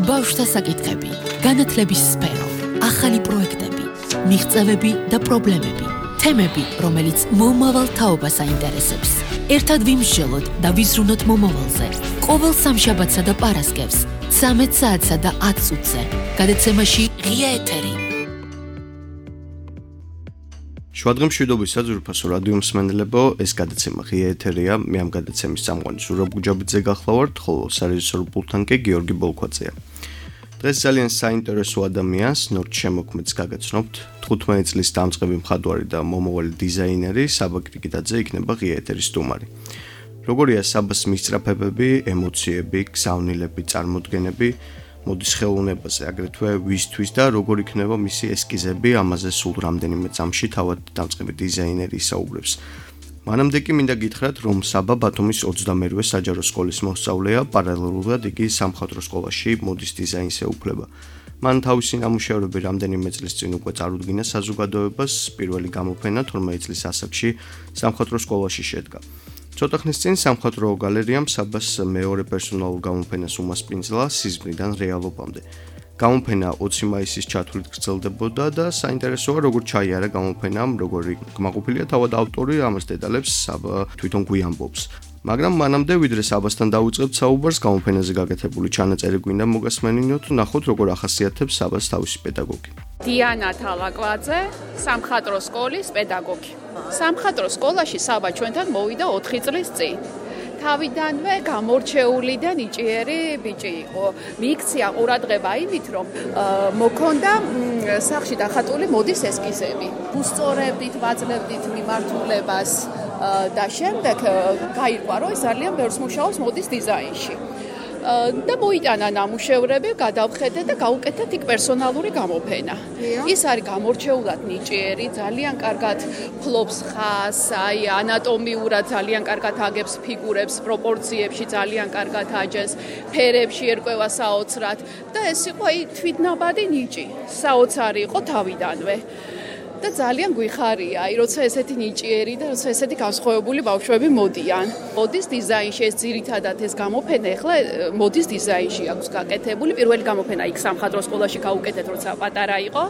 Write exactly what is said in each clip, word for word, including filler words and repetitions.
ბავშვთა საკითხები, განათლების სფერო, ახალი პროექტები, მიღწევები და პრობლემები, თემები, რომელიც მომავალ თაობას აინტერესებს. ერთად ვიმსჯელოთ და ვიზრუნოთ მომავალზე. ყოველ სამშაბათსა და პარასკევს, ცამეტ საათსა და ათ წუთზე, გადაცემაში ღია ეთერი. Შუადღემ მშვიდობისა ძვირფასო რადიო მსმენელებო, ეს გადაცემა ღია ეთერია, მე ამ გადაცემის წამყვანი ზურაბ გუჯაბიძე გახლავართ, ხოლო სარეჟისორო პულტთან კი გიორგი ბოლქვაძეა. დღეს ძალიან საინტერესო ადამიანს, ნორჩ შემოქმედს გაგაცნობთ. თხუთმეტი წლის დამწყები მხატვარი და მომავალი დიზაინერი საბა კრიკიტაძე იქნება ღია ეთერის სტუმარი. როგორია საბას მისწრაფებები, ემოციები, გზავნილები, წარმოდგენები, მოდის ხელოვნებაზე, აგრეთვე ვისთვის და როგორ იქნება მისი ესკიზები, ამაზე სულ რამდენიმე წამში თავად დამწყები დიზაინერი ისაუბრებს. მანამდე კი მინდა გითხრათ, რომ საბა ბათუმის ოცდამერვე საჯარო სკოლის მოსწავლეა, პარალელურად იგი სამხატვრო სკოლაში მოდის დიზაინს ეუფლება. მან თავისი ნამუშევრები რამდენიმე წლის წინ უკვე წარუდგინა საზოგადოებას, პირველი გამოფენა თორმეტი წლის ასაკში სამხატვრო სკოლაში შედგა. ცოტა ხნის წინ სამხატვრო გალერიამ საბას მეორე პერსონალურ გამოფენას უმასპინძლა სიზმრიდან რეალობამდე. გამოფენა ოცი მაისის ჩათვლით გრძელდებოდა და საინტერესოა როგორ ჩაიარა გამოფენამ, როგორი კმაყოფილია თავად ავტორი, ამას დეტალებს საბა თვითონ გვიამბობს. მაგრამ მანამდე ვიდრე საბასთან დავიწყებთ საუბარს, გამოფენაზე გაკეთებული ჩანაწერი გვინდა მოგასმენინოთ, ნახოთ როგორ ახასიათებს საბას თავისი პედაგოგი. დიანა თალაკვაძე, სამხატვრო სკოლის პედაგოგი. სამხატვრო სკოლაში საბა ჩვენთან მოვიდა ოთხი წლის წინ. თავიდანვე გამორჩეული და ნიჭიერი ბიჭი იყო. მიიქცია ყურადღება იმით, რომ მოქონდა სახში დახატული მოდის ესკიზები. უსწორებდით, ვაძლევდით მიმართულებას და შემდეგ გაირკვა, რომ ის ძალიან ბევრს მუშაობს მოდის დიზაინში. და მოიტანა ნამუშევრები, გადავხედე და გავუკეთეთ იქ პერსონალური გამოფენა. ის არის გამორჩეულად ნიჭიერი, ძალიან კარგად ფლობს ხაზს, აი ანატომიურად ძალიან კარგად აგებს ფიგურებს, პროპორციებში ძალიან კარგად აჯეს, ფერებში ერკვევა საოცრად და ეს იყო აი თვითნაბადი ნიჭი. საოცარი იყო თავიდანვე. და ძალიან გვიხარია, აი როცა ესეთი ნიჭიერი და როცა ესეთი განსხვავებული ბავშვები მოდიან. მოდის დიზაინში ეს ძირითადად ეს გამოფენა ახლა მოდის დიზაინში აქვს გაკეთებული. პირველი გამოფენა იქ სამხატვრო სკოლაში გავუკეთეთ, როცა პატარა იყო.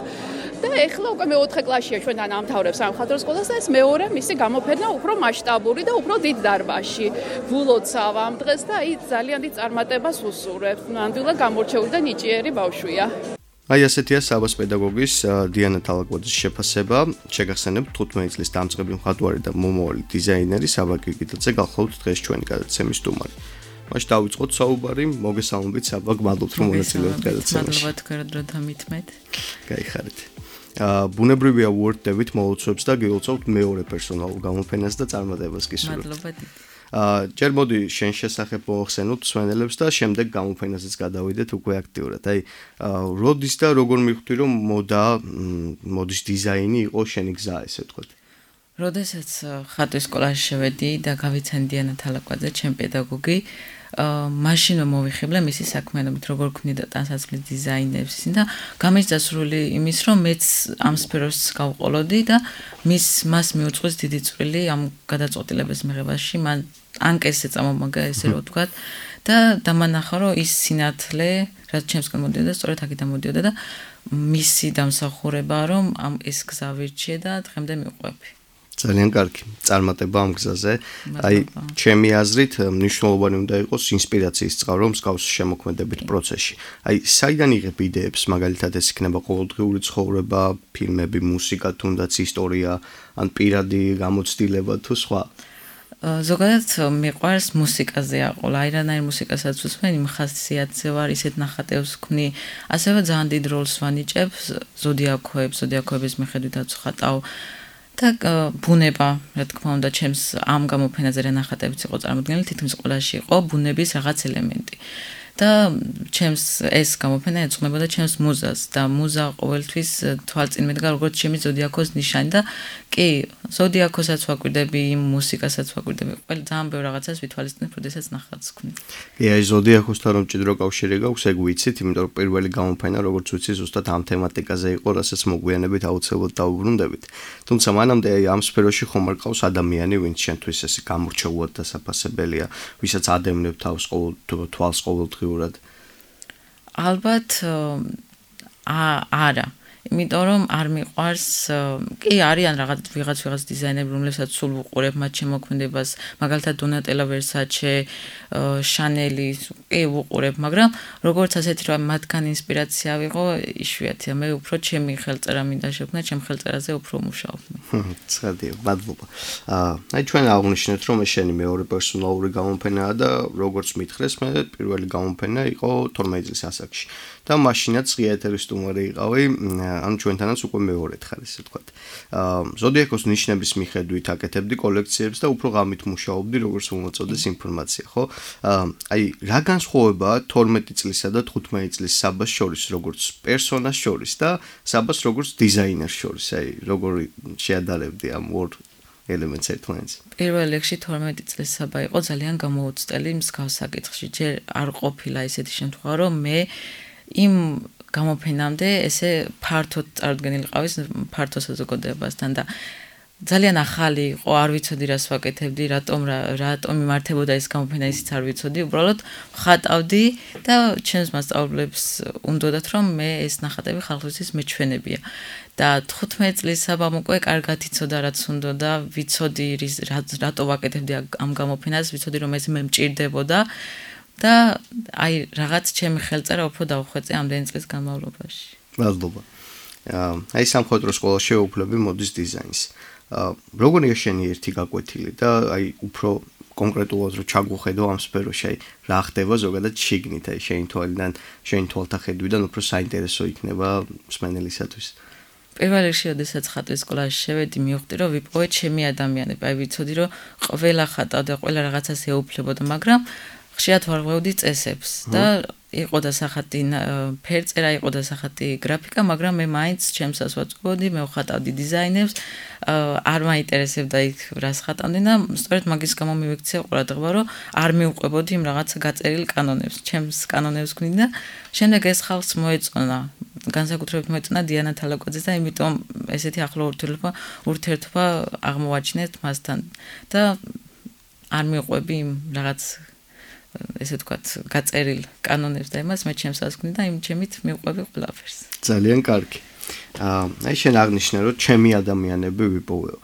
და ახლა უკვე მეოთხე კლასშია ჩვენთან ამთავრებს სამხატვრო სკოლას და ეს მეორე მისი გამოფენა უფრო მასშტაბური და უფრო დიდ დარბაზში. გულოცავ ამ დღეს და აი ძალიან დიდ წარმატებას უსურვებს. ნამდვილად გამორჩეული და ნიჭიერი ბავშვია. აი ასეთია საბას პედაგოგის დიანა თალაკვაძის შეფასება. შეგახსენებთ თხუთმეტი წლის დამწყები მხატვარი და მომავალი დიზაინერი საბა კრიკიტაძე გახლავთ დღეს ჩვენი გადაცემის სტუმარი. მაშ დავიწყოთ საუბარი, მოგესალმებით საბა, გმადლობთ რომ მონაწილეობთ გადაცემაში. მადლობა თქვენ რომ დამითმეთ. გაიხარეთ. აა ბუნებრივია უერთდებით მოლოცვებს და გილოცავთ მეორე პერსონალურ გამოფენას და წარმატებას გისურვებთ. მადლობა. აა ჯერ მოდი შენ შესახებ მოახსენოთ მსმენელებს და შემდეგ გამოფენაზეც გადავიდეთ უკვე აქტიურად. აი როდის და როგორ მივხვდი რომ მოდა მოდის დიზაინი იყო შენი გზა ესე ვთქვათ. როდესაც ხატვის სკოლაში შევედი და გავიცანი დიანა თალაკვაძე, ჩემი პედაგოგი, მაშინ მოვიხიბლე მისი საქმიანობით, როგორ ქმნიდა ტანსაცმლის დიზაინებს და გამიჩნდა სრული იმის, რომ მეც ამ სფეროს გავყოლოდი და მის მას მიუძღვის დიდი წვლილი ამ გადაწყვეტილების მიღებაში. მან ანკესზე წამომაგა, ესე რომ ვთქვათ, და დამანახა, რომ ის სინათლე, რაც ჩემსგან მოდიოდა, სწორედ აქედან მოდიოდა და მისი დამსახურება, რომ ამ ეს გზა ვირჩიე და დღემდე მივყვები. ძალიან კარგი წარმატება ამ გზაზე. აი ჩემი აზრით მნიშვნელოვანი უნდა იყოს ინსპირაციის წყარო მსგავს შემოქმედებით პროცესში. აი საიდან იღებ იდეებს, მაგალითად ეს იქნება ყოველდღიური ცხოვრება, ფილმები, მუსიკა, თუნდაც ისტორია, ან პირადი გამოცდილება თუ სხვა. ზოგადად მიყვარს მუსიკაზე აყოლა, აი რანაირ მუსიკასაც უსმენ, იმ ხასიათზე ვარ, ისეთ ნახატებს ვქმნი, ასევე ძალიან დიდ როლს ვანიჭებ ზოდიაქოებს, ზოდიაქოების მიხედვითაც ვხატავ. და ბუნება, რა თქმა უნდა, ჩემს ამ გამოფენაზე რა ნახატებიც იყო წარმოდგენილი, თითქმის ყველაში იყო ბუნების რაღაც ელემენტი. და ჩემს ეს გამოფენა ეძღვნებოდა ჩემს მუზას და მუზა ყოველთვის თვალწინ მედგა როგორც ჩემი ზოდიაქოს ნიშანი და კი, ზოდიაქოსაც ვაკვირდები, მუსიკასაც ვაკვირდები, ყველა ძალიან ბევრ რაღაცას ვითვალისწინებ, როდესაც ნახატს ვქმნით. კი, აი ზოდიაქოსთან რომ ჭიდრო კავშირი გაქვს, ეგ ვიცით, იმიტომ რომ პირველი გამოფენა, როგორც ვიცი, ზუსტად ამ თემატიკაზე იყო, რასაც მოგვიანებით აუცილებლად დავუბრუნდებით. თუმცა მანამდე აი ამ სფეროში ხომ არ ყავს ადამიანი, ვინც შენთვის ესე გამორჩეულად დასაფასებელია, ვისაც ადევნებ თავს ყოველ თვალს ყოველდღიურად. ალბათ არა იმიტომ რომ არ მიყვარს კი არიან რაღაც ვიღაც ვიღაც დიზაინერები რომლებსაც სულ უყურებ მათ შემოქმედებას მაგალითად დონატელა ვერსაჩე შანელი კი უყურებ მაგრამ როგორც ასეთი რომ მათგან ინსპირაცია ვიღო იშვიათია მე უფრო ჩემი ხელწერა მინდა შექმნა ჩემ ხელწერაზე უფრო მუშაობ ცხადია მადლობა აი ჩვენ აღნიშნეთ რომ შენი მეორე პერსონალური გამოფენაა და როგორც მითხრეს მე პირველი გამოფენა იყო თორმეტი წლის ასაკში და მაშინაც ღია ეთერის სტუმარი იყავი ანუ ჩვენთანაც უკვე მეორედ ხარ ესე ვთქვათ. ზოდიაქოს ნიშნების მიხედვით აკეთებდი კოლექციებს და უფრო ღამით მუშაობდი როგორც უმოწოდეს ინფორმაცია, ხო? აი, რა განსხვავებაა თორმეტი წლისა და თხუთმეტი წლის საბას შორის, როგორც პერსონას შორის და საბას როგორც დიზაინერს შორის, აი, როგორი შეადარებდი ამ ორ ელემენტს ერთმანეთს. პირველ რიგში თორმეტი წლის საბა იყო ძალიან გამოუცდელი მსგავს საკითხში. ჯერ არ ყოფილა ისეთი შემთხვევა, რომ მე იმ გამოფენამდე ესე ფართოდ წარდგენილი ყავის ფართო საზოგადოებასთან და ძალიან ახალი იყო, არ ვიცოდი რას ვაკეთებდი, რატომ რატომ იმართებოდა ეს გამოფენა, ისიც არ ვიცოდი, უბრალოდ ხატავდი და ჩემს მასწავლებლებს უნდოდათ რომ მე ეს ნახატები ხალხისთვის მეჩვენებია. და თხუთმეტი წლის საბამ უკვე კარგად იცოდა რაც უნდოდა, ვიცოდი რატო ვაკეთებდი ამ გამოფენას, ვიცოდი რომ ეს მე მჭირდებოდა. და აი რაღაც ჩემი ხელწერა უფრო დავხვეწე ამდენი წლის განმავლობაში. მადლობა. აი სამხატვრო სკოლაში შეუქმნები მოდის დიზაინს. როგორია შენი ერთი გაკვეთილი და აი უფრო კონკრეტულად რო ჩაგუხედო ამ სფეროში, აი რა ხდება ზოგადად შიგნით, აი შენი თვალიდან, შენი თვალთახედვიდან უფრო საინტერესო იქნება მსმენელისათვის. პირველ რიგში, როდესაც ხატვის სკოლაში შევედი, მივხვდი, რომ ვიპოვე ჩემი ადამიანები. აი ვიცოდი, რომ ყველა ხატავდა, ყველა რაღაცას ეუფლებოდა, მაგრამ ხშირად ვარღვევდი წესებს და იყო დასახატი ფერწერა, იყო დასახატი გრაფიკა, მაგრამ მე მაინც ჩემსას ვაწვდოდი, მე ვხატავდი დიზაინერს, არ მაინტერესებდა იქ რას ხატავდნენ და სწორედ მაგის გამო მივექცია ყურადღება, რომ არ მივყვებოდი იმ რაღაცა გაწერილ კანონებს, ჩემს კანონებს ვქნიდი და შემდეგ ეს ხალხს მოეწონა, განსაკუთრებით მოეწონა დიანა თალაკოძეს და იმიტომ ესეთი ახლო ურთიერთობა ურთიერთობა აღმოვაჩინეთ მასთან და არ მივყვები იმ რაღაც ესე ვთქვათ, გაწერილ კანონებს და იმას მე ჩემს ასკვნი და იმ ჩემით მივყვები ყველაფერს. ძალიან კარგი. აი შენ აღნიშნე რომ ჩემი ადამიანები ვიპოვეო.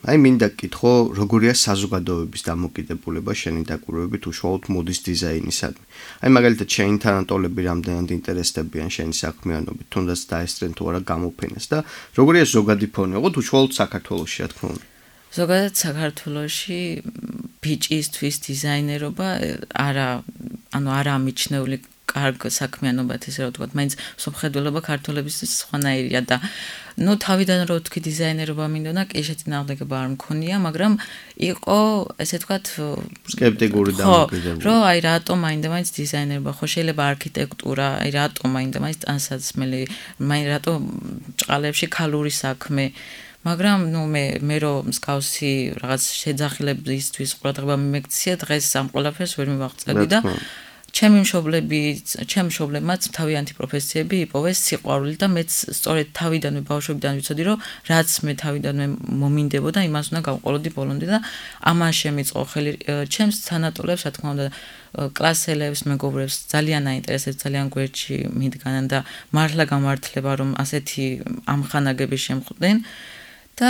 აი მინდა გკითხო, როგორია საზოგადოების დამოკიდებულება შენი დაკვირვებით უშუალოდ მოდის დიზაინისადმი. აი მაგალითად შენი თანატოლები რამდენად ინტერესდებიან შენი საქმიანობით, თუნდაც დაესწრენ თუ არა გამოფენას და როგორია ზოგადი ფონი, ოღონდ უშუალოდ საქართველოში, რა თქმა უნდა. ზოგადად საქართველოში ბიჭისთვის დიზაინერობა არა, ანუ არა მიჩნეული კარგ საქმიანობად, ესე რა ვთქვათ, მაინც სოფხედველობა ქართველებისთვის სხვანაირია და ნუ თავიდან რო ვთქვი დიზაინერობა მინდოდა, კი შეწინააღმდეგობა არ მქონია, მაგრამ იყო, ესე ვთქვათ, სკეპტიკური დამოკიდებულება. რომ აი რატომ მაინდა მაინც დიზაინერობა, ხო შეიძლება არქიტექტურა, აი რატომ მაინდა მაინც ტანსაცმელი, მაინ რატომ ჭყალებში ქალური საქმე მაგრამ ნუ მე მე რომ მსგავსი რაღაც შეძახილებისთვის ყურადღება მიმექცია დღეს ამ ყველაფერს ვერ მივაღწევდი და ჩემი მშობლები ჩემ მშობლებმაც თავიანთი პროფესიები იპოვეს სიყვარული და მეც სწორედ თავიდანვე ბავშვობიდან ვიცოდი რომ რაც მე თავიდანვე მომინდებოდა იმას უნდა გავყოლოდი ბოლომდე და ამან შემიწყო ხელი ჩემს თანატოლებს რა თქმა უნდა კლასელებს მეგობრებს ძალიან აინტერესებს ძალიან გვერდში მიდგანან და მართლა გამართლება რომ ასეთი ამხანაგები შემხვდნენ და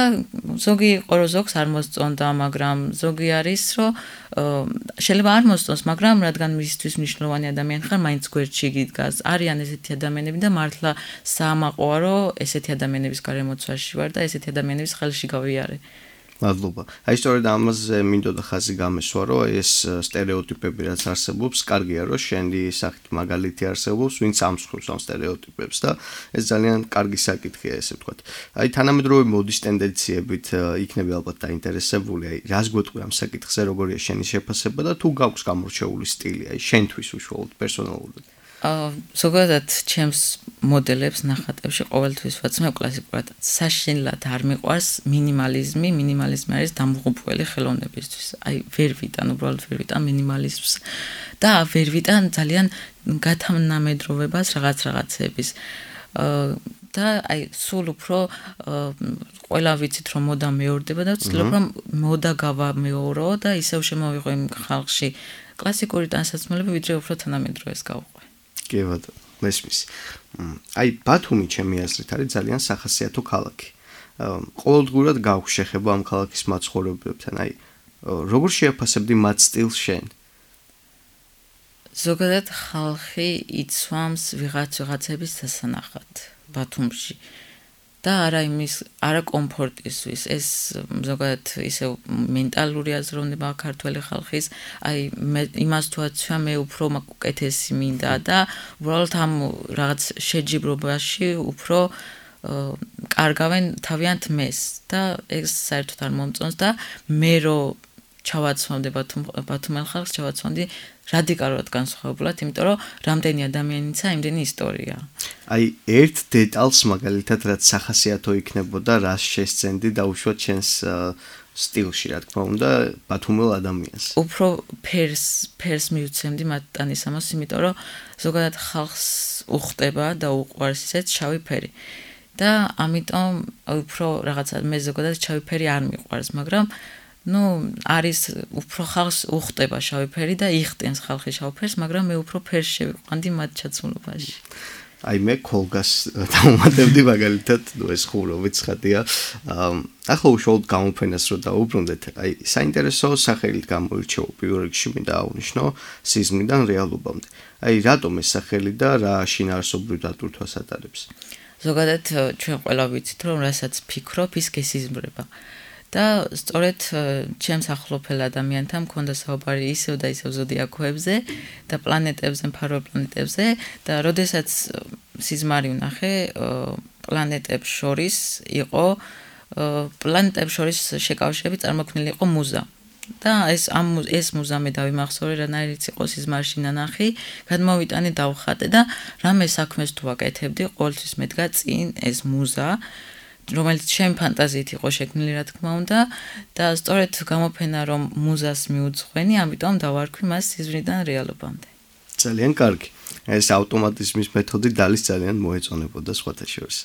ზოგი იყო რომ ზოგს არ მოსწონდა, მაგრამ ზოგი არის რომ შეიძლება არ მოსწონს, მაგრამ რადგან მისთვის მნიშვნელოვანი ადამიანი ხარ, მაინც გვერდში გიდგას. არიან ესეთი ადამიანები და მართლა საამაყოა რომ ესეთი ადამიანების გარემოცვაში ვარ და ესეთი ადამიანების ხელში გავიარე. მადლობა. აი სწორედ ამაზე მინდოდა ხაზი გამესვა, რომ ეს სტერეოტიპები რაც არსებობს, კარგია რომ შენი სახით მაგალითი არსებობს, ვინც ამსხვრევს ამ სტერეოტიპებს და ეს ძალიან კარგი საკითხია, ესე ვთქვათ. აი თანამედროვე მოდის ტენდენციებით იქნები ალბათ დაინტერესებული, აი რას გვეტყვი ამ საკითხზე, როგორია შენი შეფასება და თუ გაქვს გამორჩეული სტილი, აი შენთვის უშუალოდ პერსონალურად. აა ზოგადად ჩემს მოდელებს ნახატებში ყოველთვის ვაცნობ კლასიკურად. საშინლად არ მიყვარს მინიმალიზმი, მინიმალიზმი არის დამღუპველი ხელოვნებისთვის. აი ვერ ვიტან, უბრალოდ ვერ ვიტან მინიმალიზმს და ვერ ვიტან ძალიან გათამნამედროვებას რაღაც რაღაცების. აა და აი სულ უფრო ყველა ვიცით რომ მოდა მეორდება და ვცდილობ რომ მოდა გავამეორო და ისევ შემოვიღო იმ ხალხში კლასიკური ტანსაცმელები ვიდრე უფრო თანამედროვეს გავყვე. კი ბატონო. მესმის. აი ბათუმი ჩემი აზრით არის ძალიან სახასიათო ქალაქი. ყოველდღურად გაქვს შეხება ამ ქალაქის მაცხოვრებლებთან. აი როგორ შეაფასებდი მათ სტილს შენ? ზოგადად ხალხი იცვამს ვიღაც ვიღაცების სასანახად ბათუმში. და არა იმის არა კომფორტისთვის ეს ზოგადად ისე მენტალური აზროვნება ქართველი ხალხის აი მე იმას თუ აცვა მე უფრო უკეთესი მინდა და უბრალოდ ამ რაღაც შეჯიბრობაში უფრო კარგავენ თავიანთ მეს და ეს საერთოდ არ მომწონს და მე რო ჩავაცვამდი ბათუმელ ხალხს ჩავაცვამდი რადიკალურად განსხვავებულად, იმიტომ რომ რამდენი ადამიანიცა, იმდენი ისტორია. აი ერთ დეტალს მაგალითად რაც სახასიათო იქნებოდა, რას შესცენდი დაუშვათ შენს სტილში, რა თქმა უნდა, ბათუმელ ადამიანს. უფრო ფერს ფერს მივცემდი მათ ტანისამოს, იმიტომ რომ ზოგადად ხალხს უხდება და უყვარს ისეთ შავი ფერი. და ამიტომ უფრო რაღაცა მე ზოგადად შავი ფერი არ მიყვარს, მაგრამ ну, არის უფრო ხალხს უხდება შავი ფერი და იხტენს ხალხი შავ ფერს, მაგრამ მე უფრო ფერს შევიყვანდი მათ ჩაცმულობაში. აი მე კოლგას დავუმატებდი მაგალითად, ну ეს ხურავით ცხადია. ახლა უშუალოდ გამოფენას რო დაუბრუნდეთ, აი საინტერესო სახელით გამოირჩევა პირველ რიგში მინდა აღვნიშნო სიზმრიდან რეალობამდე. აი რატომ ეს სახელი და რა შინაარსობრივ დატვირთვას ატარებს? ზოგადად ჩვენ ყველა ვიცით, რომ რასაც ფიქრობ, ის გესიზმრება. და სწორედ ჩემს ახლობელ ადამიანთან მქონდა საუბარი ისევ და ისევ ზოდიაქოებზე და პლანეტებზე, მფარველ პლანეტებზე და როდესაც სიზმარი ვნახე, პლანეტებს შორის იყო პლანეტებს შორის შეკავშირებით წარმოქმნილი იყო მუზა. და ეს ამ ეს მუზა მე დავიმახსოვრე, რანაირიც იყო სიზმარში ნანახი, გადმოვიტანე დავხატე და რამე საქმეს თუ აკეთებდი, ყოველთვის მედგა წინ ეს მუზა რომელიც ჩემ ფანტაზიით იყო შექმნილი, რა თქმა უნდა, და სწორედ გამოფენა რომ მუზას მიუძღვენი, ამიტომ დავარქვი მას სიზმრიდან რეალობამდე. ძალიან კარგი. ეს ავტომატიზმის მეთოდი დალის ძალიან მოეწონებოდა სხვათა შორის.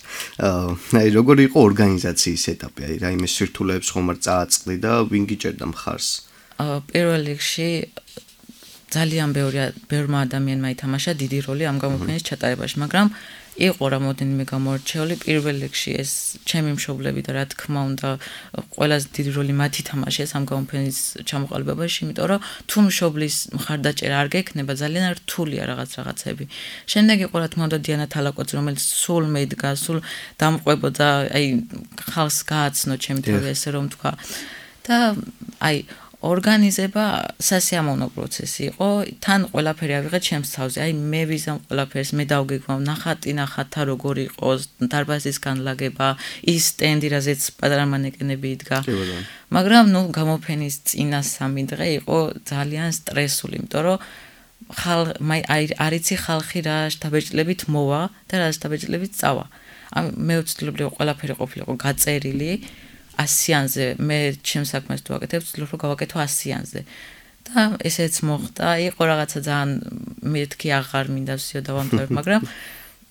აი როგორი იყო ორგანიზაციის ეტაპი, აი რაიმე სირთულეებს ხომ არ წააწყდი და ვინ გიჭერდა მხარს? პირველ რიგში ძალიან ბევრი ბევრმა ადამიანმა ითამაშა დიდი როლი ამ გამოფენის ჩატარებაში, მაგრამ იყო რამოდენიმე გამორჩეული პირველ რიგში ეს ჩემი მშობლები და რა თქმა უნდა ყველაზე დიდი როლი მათ ითამაშეს ამ გამოფენის ჩამოყალიბებაში, იმიტომ რომ თუ მშობლის მხარდაჭერა არ გექნება, ძალიან რთულია რაღაც რაღაცები. შემდეგ იყო რა თქმა უნდა დიანა თალაკოძე, რომელიც სულ მედგა, სულ დამყვებოდა, აი ხალხს გააცნო ჩემი თავი ესე რომ თქვა. და აი ორგანიზება სასიამოვნო პროცესი იყო, თან ყველაფერი ავიღეთ ჩემს თავზე. აი მე ვიზამ ყველაფერს, მე დავგეგმავ ნახატი ნახათა როგორ იყოს, დარბაზის განლაგება, ის სტენდი, რაზეც პატარა მანეკენები იდგა. მაგრამ ნუ გამოფენის წინა სამი დღე იყო ძალიან სტრესული, იმიტომ რომ ხალ აი არიცი ხალხი რა შთაბეჭდილებით მოვა და რა შთაბეჭდილებით წავა. მე ვცდილობდი ყველაფერი ყოფილიყო გაწერილი. ასიანზე მე ჩემს საქმეს თუ ვაკეთებ, ვცდილობ რომ გავაკეთო ასიანზე. და ესეც მოხდა, იყო რაღაცა ძალიან მეთქი აღარ მინდა ვსიო დავამთავრებ, მაგრამ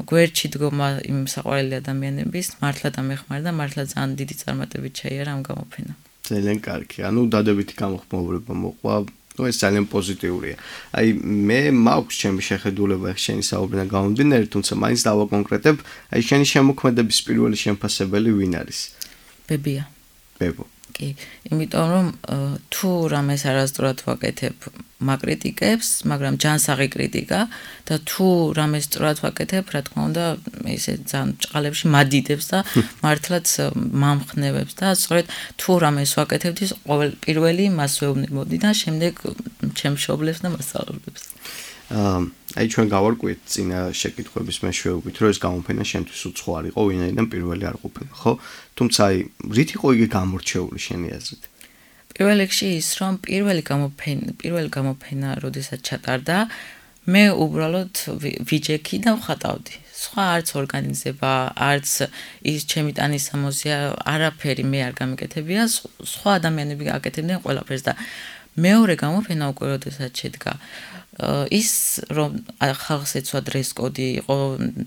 გვერდში დგომა იმ საყვარელი ადამიანების მართლა დამეხმარა და მართლა ძალიან დიდი წარმატებით ჩაიარა ამ გამოფენა. ძალიან კარგი. ანუ დადებითი გამოხმაურება მოყვა. ну ეს ძალიან პოზიტიურია. აი მე მაქვს ჩემი შეხედულება შენი საუბრიდან გამომდინარე, თუმცა მაინც დავაკონკრეტებ, აი შენი შემოქმედების პირველი შემფასებელი ვინ არის? ბებია. ბებო. კი, იმიტომ რომ თუ რამეს არასწორად ვაკეთებ, მაკრიტიკებს, მაგრამ ჯანსაღი კრიტიკა და თუ რამეს სწორად ვაკეთებ, რა თქმა უნდა, ესე ძალიან ჭყალებში მადიდებს და მართლაც მამხნევებს და სწორედ თუ რამეს ვაკეთებდი, ყოველ პირველი მას ვეუბნებოდი და შემდეგ ჩემ მშობლებს და მასწავლებლებს. აი ჩვენ გავარკვიეთ წინა შეკითხვების მეშვეობით, რომ ეს გამოფენა შენთვის უცხო არ იყო, ვინაიდან პირველი არ ყოფილა, ხო? თუმცა აი რით იყო იგი გამორჩეული შენი აზრით? პირველ რიგში ის, რომ პირველი გამოფენა, პირველი გამოფენა, როდესაც ჩატარდა, მე უბრალოდ ვიჯექი და ვხატავდი. სხვა არც ორგანიზება, არც ის ჩემი ტანისამოსია, არაფერი მე არ გამიკეთებია, სხვა ადამიანები აკეთებდნენ ყველაფერს და მეორე გამოფენა უკვე როდესაც შედგა, ის რომ ხალხს ეცვა დრეს-კოდი იყო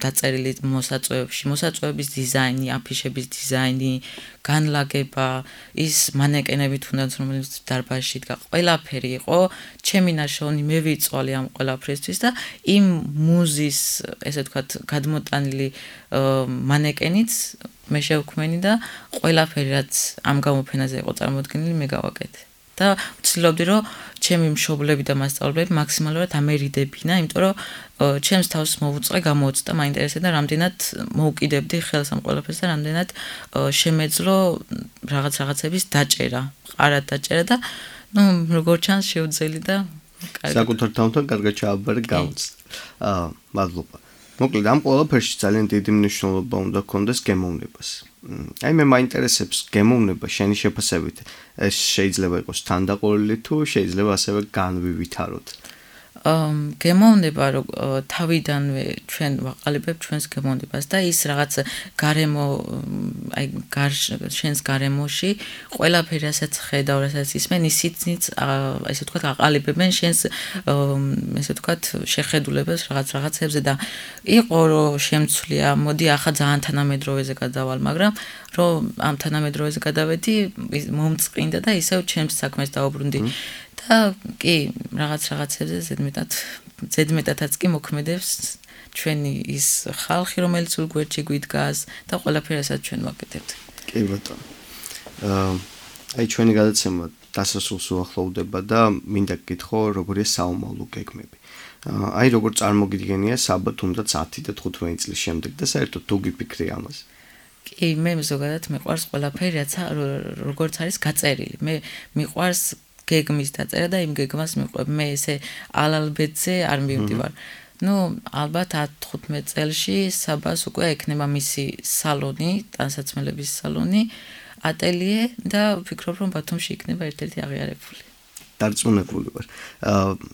დაწერილი მოსაწვევებში, მოსაწვევების დიზაინი, აფიშების დიზაინი, განლაგება, ის მანეკენები თუნდაც რომელიც დარბაზში დგა, ყველაფერი იყო ჩემი ნაშრომი, მე ვიწვალე ამ ყველაფრისთვის და იმ მუზის, ესე ვთქვათ, გადმოტანილი მანეკენიც მე შევქმენი და ყველაფერი რაც ამ გამოფენაზე იყო წარმოდგენილი მე გავაკეთე. და ვცდილობდი რომ ჩემი მშობლები და მასწავლებლები მაქსიმალურად ამერიდებინა, იმიტომ რომ ჩემს თავს მოვუწყე გამოუცდა მაინტერესებდა რამდენად მოვკიდებდი ხელს ამ ყველაფერს და რამდენად შემეძლო რაღაც რაღაცების დაჭერა, ყარად დაჭერა და ნუ როგორ ჩანს შევძელი და კარგი. საკუთარ თავთან კარგად ჩააბარე გამოც. აა მადლობა. მოკლედ ამ ყველაფერში ძალიან დიდი მნიშვნელობა უნდა ჰქონდეს გემოვნებას. აი მე მაინტერესებს გემოვნება შენი შეფასებით. ეს შეიძლება იყოს თანდაყოლილი თუ შეიძლება ასევე განვივითაროთ. გემოვნება რომ თავიდანვე ჩვენ ვაყალიბებთ ჩვენს გემოვნებას და ის რაღაც გარემო აი შენს გარემოში ყველაფერი რასაც ხედავ, რასაც ისმენ, ისიც ესე ვთქვათ აყალიბებენ შენს ესე ვთქვათ შეხედულებას რაღაც რაღაცებზე და იყო რომ შემცვლია, მოდი ახლა ძალიან თანამედროვეზე გადავალ, მაგრამ რომ ამ თანამედროვეზე გადავედი, მომწყინდა და ისევ ჩემს საქმეს დავუბრუნდი. და კი, რაღაც რაღაცებზე ზედმეტად ზედმეტადაც კი მოქმედებს ჩვენი ის ხალხი, რომელიც სულ გვერდში გვიდგას და ყველაფერსაც ჩვენ ვაკეთებთ. კი ბატონო. აა აი ჩვენი გადაცემა დასასრულს უახლოვდება და მინდა გკითხო, როგორია საომავლო გეგმები. აი როგორ წარმოგიდგენია საბა თუნდაც ათი და თხუთმეტი წლის შემდეგ და საერთოდ თუ გიფიქრი ამას. კი, მე ზოგადად მიყვარს ყველაფერი, რაც როგორც არის გაწერილი. მე მიყვარს გეგმის დაწერა და იმ გეგმას მიყვებ. მე ესე ალალბედზე არ მივდივარ. ნუ ალბათ ათი-თხუთმეტი წელში საბას უკვე ექნება მისი სალონი, ტანსაცმელების სალონი, ატელიე და ვფიქრობ რომ ბათუმში იქნება ერთ-ერთი აღიარებული. დარწმუნებული ვარ.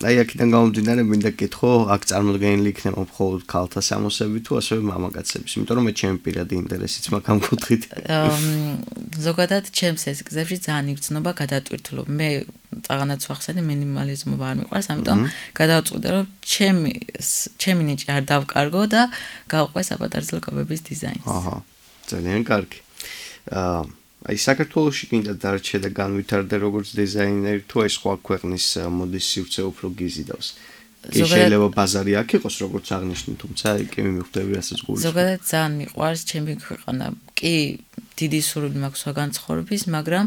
აი აქედან გამომდინარე მინდა გკითხო, აქ წარმოდგენილი იქნება მხოლოდ ქალთა სამოსები თუ ასევე მამაკაცების, იმიტომ რომ მე ჩემი პირადი ინტერესიც მაქვს ამ კუთხით. ზოგადად ჩემს ეს გზებში ძალიან იგრძნობა გადატვირთულობა. მე წაღანაც ვახსენე მინიმალიზმი არ მიყვარს, ამიტომ გადავწყვიტე რომ ჩემი ჩემი ნიჭი არ დავკარგო და გავყვე საპატარძლო კაბების დიზაინს. აჰა, ძალიან კარგი. აა აი საქართველოში კიდე დარჩე და განვითარდე როგორც დიზაინერი თუ აი სხვა ქვეყნის მოდის სივრცე უფრო გიზიდავს. კი შეიძლება ბაზარი აქ იყოს როგორც აღნიშნე, თუმცა კი მივხვდები რასაც გულში. ზოგადად ძალიან მიყვარს ჩემი ქვეყანა. კი დიდი სურვილი მაქვს სხვა განცხოვრების, მაგრამ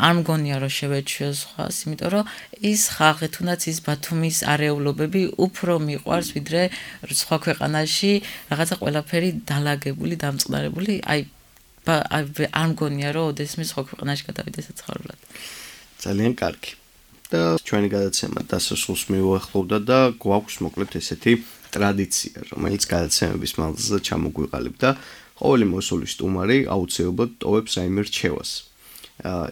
არ მგონია რომ შევეჩვიო სხვას, იმიტომ რომ ის ხალხი თუნდაც ის ბათუმის არეულობები უფრო მიყვარს ვიდრე სხვა ქვეყანაში რაღაცა ყველაფერი დალაგებული, დამწყნარებული, აი არ მგონია რომ ოდესმე სხვა ქვეყანაში გადავიდე საცხოვრებლად. ძალიან კარგი. და ჩვენი გადაცემა დასასრულს მივუახლოვდა და გვაქვს მოკლედ ესეთი ტრადიცია, რომელიც გადაცემების მანძილზე ჩამოგვიყალიბდა. ყოველი მოსული სტუმარი აუცილებლად ტოვებს რაიმე რჩევას.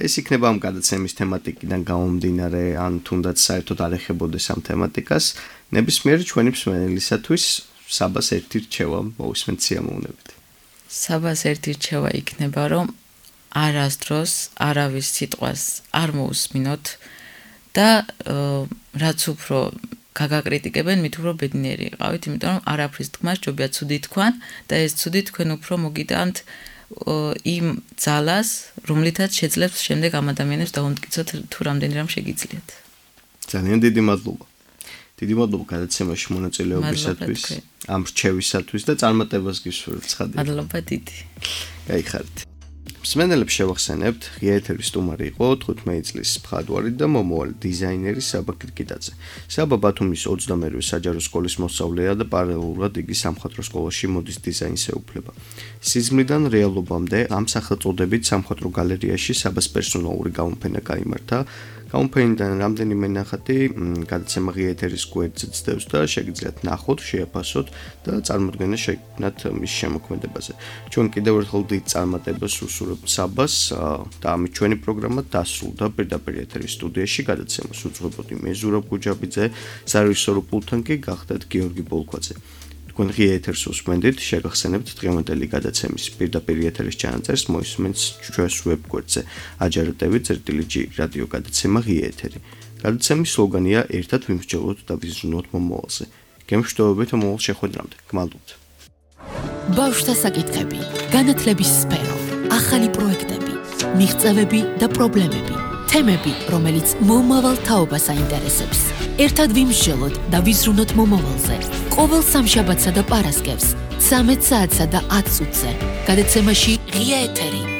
ეს იქნება ამ გადაცემის თემატიკიდან გამომდინარე, ან თუნდაც საერთოდ არ ეხებოდეს ამ თემატიკას, ნებისმიერი ჩვენი მსმენელისათვის საბას ერთი რჩევა მოვისმენთ სიამოვნებით. საბას ერთი რჩევა იქნება, რომ არასდროს არავის სიტყვას არ მოусმინოთ და რაც უფრო გაგაკრიტიკებენ, მით უფრო ბედნიერი იყავით, იმიტომ რომ არაფრის თქმა სჯობია ცუდი თქვან და ეს ცუდი თქვენ უფრო მოგიტანთ იმ ძალას, რომლითაც შეძლებს შემდეგ ამ ადამიანებს დაუმტკიცოთ თუ რამდენი რამ შეგიძლიათ. ძალიან დიდი მადლობა. დიდი მადლობა გადაცემაში მონაწილეობისათვის, ამ რჩევისათვის და წარმატებას გისურვებთ ცხადია. მადლობა დიდი. გაიხარეთ. მსმენელებს შევახსენებთ, ღია ეთერის სტუმარი იყო თხუთმეტი წლის მხატვარი და მომავალი დიზაინერი საბა კირკიტაძე. საბა ბათუმის ოცდამერვე საჯარო სკოლის მოსწავლეა და პარალელურად იგი სამხატვრო სკოლაში მოდის დიზაინს ეუფლება. სიზმრიდან რეალობამდე ამ სახელწოდებით სამხატვრო გალერეაში საბას პერსონალური გამოფენა გაიმართა. გამოფენიდან რამდენიმე ნახატი გადაცემა ღია ეთერის გვერდზე ძდევს და შეგიძლიათ ნახოთ, შეაფასოთ და წარმოდგენა შექმნათ მის შემოქმედებაზე. ჩვენ კიდევ ერთხელ დიდ წარმატებას უსურვებთ საბას და ამით ჩვენი პროგრამა დასრულდა. პირდაპირ ეთერის სტუდიაში გადაცემას უძღვებოდი მე ზურაბ გუჯაბიძე, სარეჟისორო პულტთან კი გახდათ გიორგი ბოლქვაძე. თქვენ ღია ეთერს უსმენდით, შეგახსენებთ დღევანდელი გადაცემის პირდაპირ ეთერის ჩანაწერს მოისმენთ ჩვენს ვებგვერდზე. აჯარდებით წერტილი ჯი რადიო გადაცემა ღია ეთერი. გადაცემის სლოგანია ერთად ვიმსჯელოთ და ვიზრუნოთ მომავალზე. გემშვიდობებით მომავალ შეხვედრამდე. გმადლობთ. ბავშვთა საკითხები, განათლების სფერო, ახალი პროექტები, მიღწევები და პრობლემები, თემები, რომელიც მომავალ თაობას აინტერესებს. ერთად ვიმსჯელოთ და ვიზრუნოთ მომავალზე. ყოველ სამშაბათსა და პარასკევს, ცამეტ საათსა და ათ წუთზე. გადაცემაში ღია ეთერი.